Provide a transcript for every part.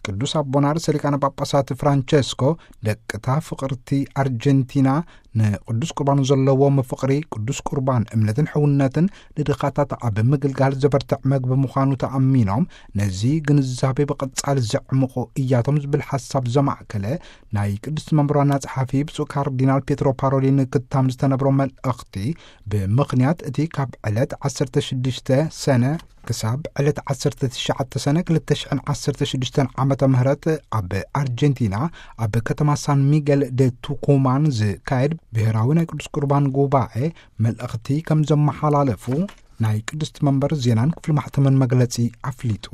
ቅዱስ ኣቦና ርእሰ ሊቃነ ጳጳሳት ፍራንቸስኮ፣ ደቅታ ፍቕርቲ ኣርጀንቲና ንቅዱስ ቁርባን ዘለዎም ፍቕሪ፣ ቅዱስ ቁርባን እምነትን ሕውነትን፣ ንድኻታት ኣብ ምግልጋል ዘበርትዕ መግቢ ምዃኑ ተኣሚኖም፣ ነዚ ግንዛቤ ብቐጻሊ ዘዕምቑ እያቶም ዝብል ሓሳብ ዘማእከለ ናይ ቅድስቲ መንበር ዋና ጸሓፊ ብፁዕ ካርዲናል ፔትሮ ፓሮሊን ክታም ዝተነብሮ መልእኽቲ፣ ብምኽንያት እቲ ካብ ዕለት ዓሰርተ ሽዱሽተ ሰነ ክሳብ ዕለት ዓሰርተ ትሽዓተ ሰነ ክልተ ሽሕን ዓሰርተ ሽዱሽተን ዓመተ ምህረት ኣብ ኣርጀንቲና፣ ኣብ ከተማ ሳን ሚጌል ደ ቱኩማን ዝካየድ ብሔራዊ ናይ ቅዱስ ቁርባን ጉባኤ መልእኽቲ ከም ዘመሓላለፉ ናይ ቅድስቲ መንበር ዜናን ክፍሊ ማሕተምን መግለጺ ኣፍሊጡ።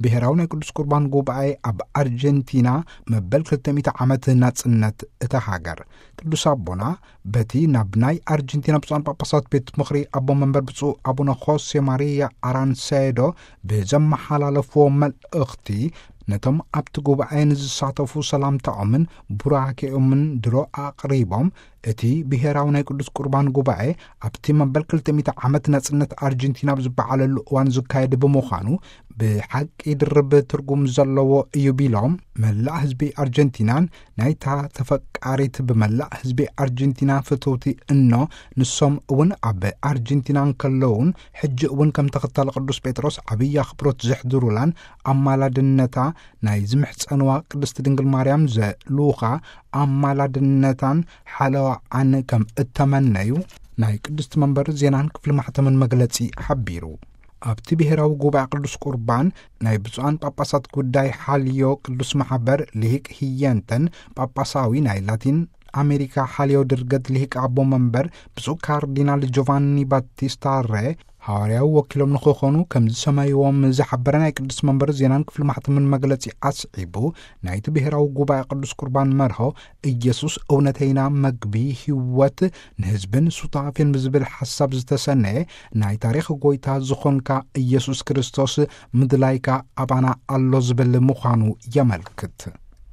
ብሔራዊ ናይ ቅዱስ ቁርባን ጉባኤ ኣብ ኣርጀንቲና መበል ክልተ ሚእቲ ዓመት ናጽነት እታ ሃገር። ቅዱስ ኣቦና በቲ ናብ ናይ ኣርጀንቲና ብፁዓን ጳጳሳት ቤት ምኽሪ ኣቦ መንበር ብፁዕ ኣቡነ ሆሴ ማሪያ ኣራንሴዶ ብዘመሓላለፍዎ መልእኽቲ፣ ነቶም ኣብቲ ጉባኤ ንዝሳተፉ ሰላምታኦምን ቡራኬኦምን ድሮ ኣቕሪቦም፣ እቲ ብሔራዊ ናይ ቅዱስ ቁርባን ጉባኤ ኣብቲ መበል ክልተ ሚእቲ ዓመት ናጽነት ኣርጀንቲና ኣብ ዝበዓለሉ እዋን ዝካየድ ብምዃኑ፣ ብሓቂ ድርብ ትርጉም ዘለዎ እዩ ቢሎም፣ መላእ ህዝቢ ኣርጀንቲናን ናይታ ተፈቃሪት ብመላእ ህዝቢ ኣርጀንቲና ፍትውቲ እኖ፣ ንሶም እውን ኣብ ኣርጀንቲና እንከለውን ሕጂ እውን ከም ተኸታሊ ቅዱስ ጴጥሮስ ዓብዪ ኣኽብሮት ዘሕድሩላን፣ ኣማላድነታ ናይ ዝምሕጸንዋ ቅድስቲ ድንግል ማርያም ዘልኡኻ ኣማላድነታን ሓለዋኣን ከም እተመነዩ ናይ ቅድስቲ መንበር ዜናን ክፍሊ ማሕተምን መግለጺ ሓቢሩ። ኣብቲ ብሔራዊ ጉባኤ ቅዱስ ቁርባን ናይ ብፁዓን ጳጳሳት ጉዳይ ሓልዮ ቅዱስ ማሕበር ልሂቅ ህየንተን ጳጳሳዊ ናይ ላቲን ኣሜሪካ ሓልዮ ድርገት ልሂቅ ኣቦ መንበር ብፁዕ ካርዲናል ጆቫኒ ባቲስታ ሬ፣ ሃዋርያዊ ወኪሎም ንኽኾኑ ከም ዝሰመይዎም ዝሓበረ ናይ ቅዱስ መንበር ዜናን ክፍሊ ማሕተምን መግለጺ ኣስዒቡ፣ ናይቲ ብሔራዊ ጉባኤ ቅዱስ ቁርባን መርሆ፣ ኢየሱስ እውነተይና መግቢ ህይወት ንህዝብን ሱታፌን ብዝብል ሓሳብ ዝተሰነየ ናይ ታሪኽ ጎይታ ዝኾንካ ኢየሱስ ክርስቶስ ምድላይካ ኣባና ኣሎ ዝብል ምዃኑ የመልክት።